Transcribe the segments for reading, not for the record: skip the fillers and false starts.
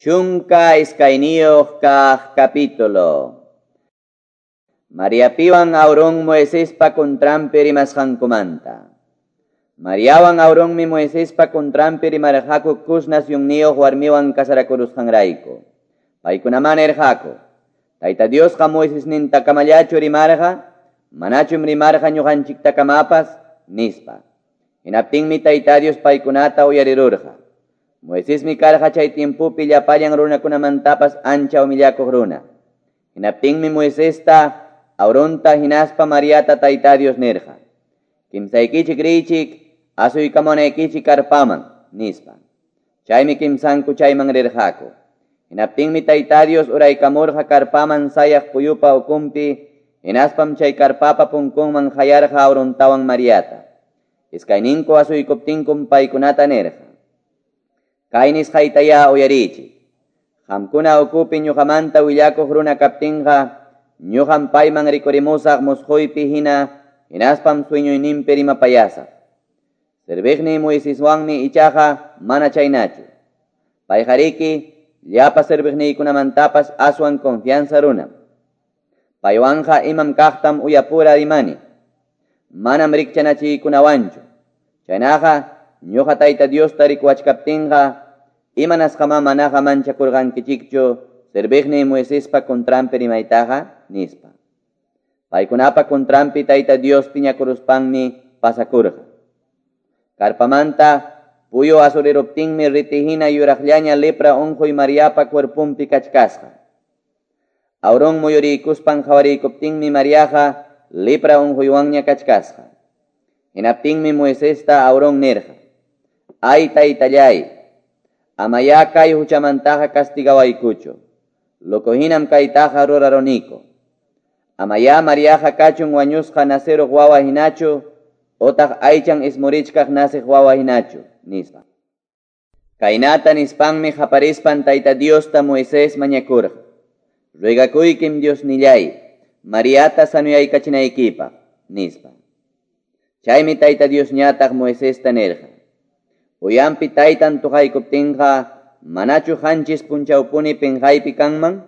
12 kaq capítulo. Mariapiwan Aarón Moisespa contranpi rimasqankumanta. Mariawan Aaronmi Moisespa contranpi rimarqaku Cus nacionniyuq warmiwan casarakurusqanrayku. Paykunaman nirqaku: Tayta Diosqa Moisesnintakamallachu rimarqa, manachum rimarqa ñuqanchiktakamapas, nispa. Hinaptinmi Tayta Dios paykunata uyarirurqa. Moisesmi karqa chay tiempopi llapallan runakunamantapas ancha humillakuq runa. Hinaptinmi Moisesta, Aaronta hinaspa Mariata Tayta Dios nirqa: Kimsaykichik riychik, asuykamunaykichik karpaman, nispa. Chaymi kimsanku chayman rirqaku. Hinaptinmi Tayta Dios uraykamurqa karpaman sayaq puyupa ukunpi, hinaspam chay karpapa punkunman qayarqa Aarontawan Mariata. Iskayninku asuykuptinkum paykunata nirqa: Kay nisqaytayá uyariychik. Qamkuna ukupi ñuqamanta willakuq runa kaptinqa, ñuqam payman rikurimusaq musquypi hina, hinaspam sueñoyninpi rimapayasaq. Serviqniy Moiseswanmi ichaqa mana chaynachu. Payqariki llapa serviqniykunamantapas aswan confianza runam. Paywanqa imam kaqtam uyapura rimani. Manam rikchanachiykunawanchu. Chaynaqa ñuqa Tayta Diosta rikuwachkaptinqa, imanasqamá manaqa manchakurqankichikchu serviqniy Moisespa contranpi rimaytaqa, nispa. Paykunapa contranpi Tayta Dios piñakuruspanmi pasakurqa. Karpamanta puyu asuriruptinmi ritihina yuraqllaña lepra unquy Mariapa cuerpunpi kachkasqa. Aarón muyuriykuspan qhawarikuptinmi Mariaqa lepra unquywanña kachkasqa. Hinaptinmi Moisesta Aarón nirqa: Ay taytallay, amayá kay huchamantaqa castigawaykuchu. Loco hinam kaytaqa ruraruniku. Amayá Mariaqa kachun wañusqa naceruq wawa hinachu, otaq aychan ismurichkaq nasiq wawa hinachu, nispa. Kaynata nispanmi qaparispan Tayta Diosta Moisés mañakurqa: Ruegakuykim Diosnillay, Mariata sanuyaykachinaykipaq, nispa. Chaymi Tayta Diosñataq Moisesta nirqa: Uyanpi taytan tuqaykuptinqa, manachu qanchis punchawpuni pinqaypi kanman?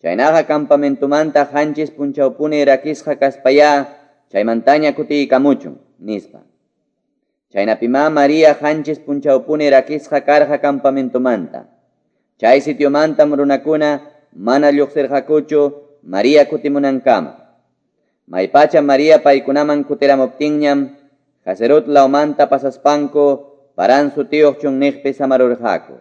Chaynaqa campamentumanta qanchis punchawpuni rakisqa kaspayá, chaymantaña kutiykamuchun, nispa. Chaynapimá María qanchis punchawpuni rakisqa karqa campamentumanta. Chay sitiomantam runakuna mana lluqsirqakuchu María kutimunankama. Maypacha María paykunaman kutiramuptinñam, Haserot lawmanta pasaspanku Parán sutiyuq chunniqpi samarurqaku.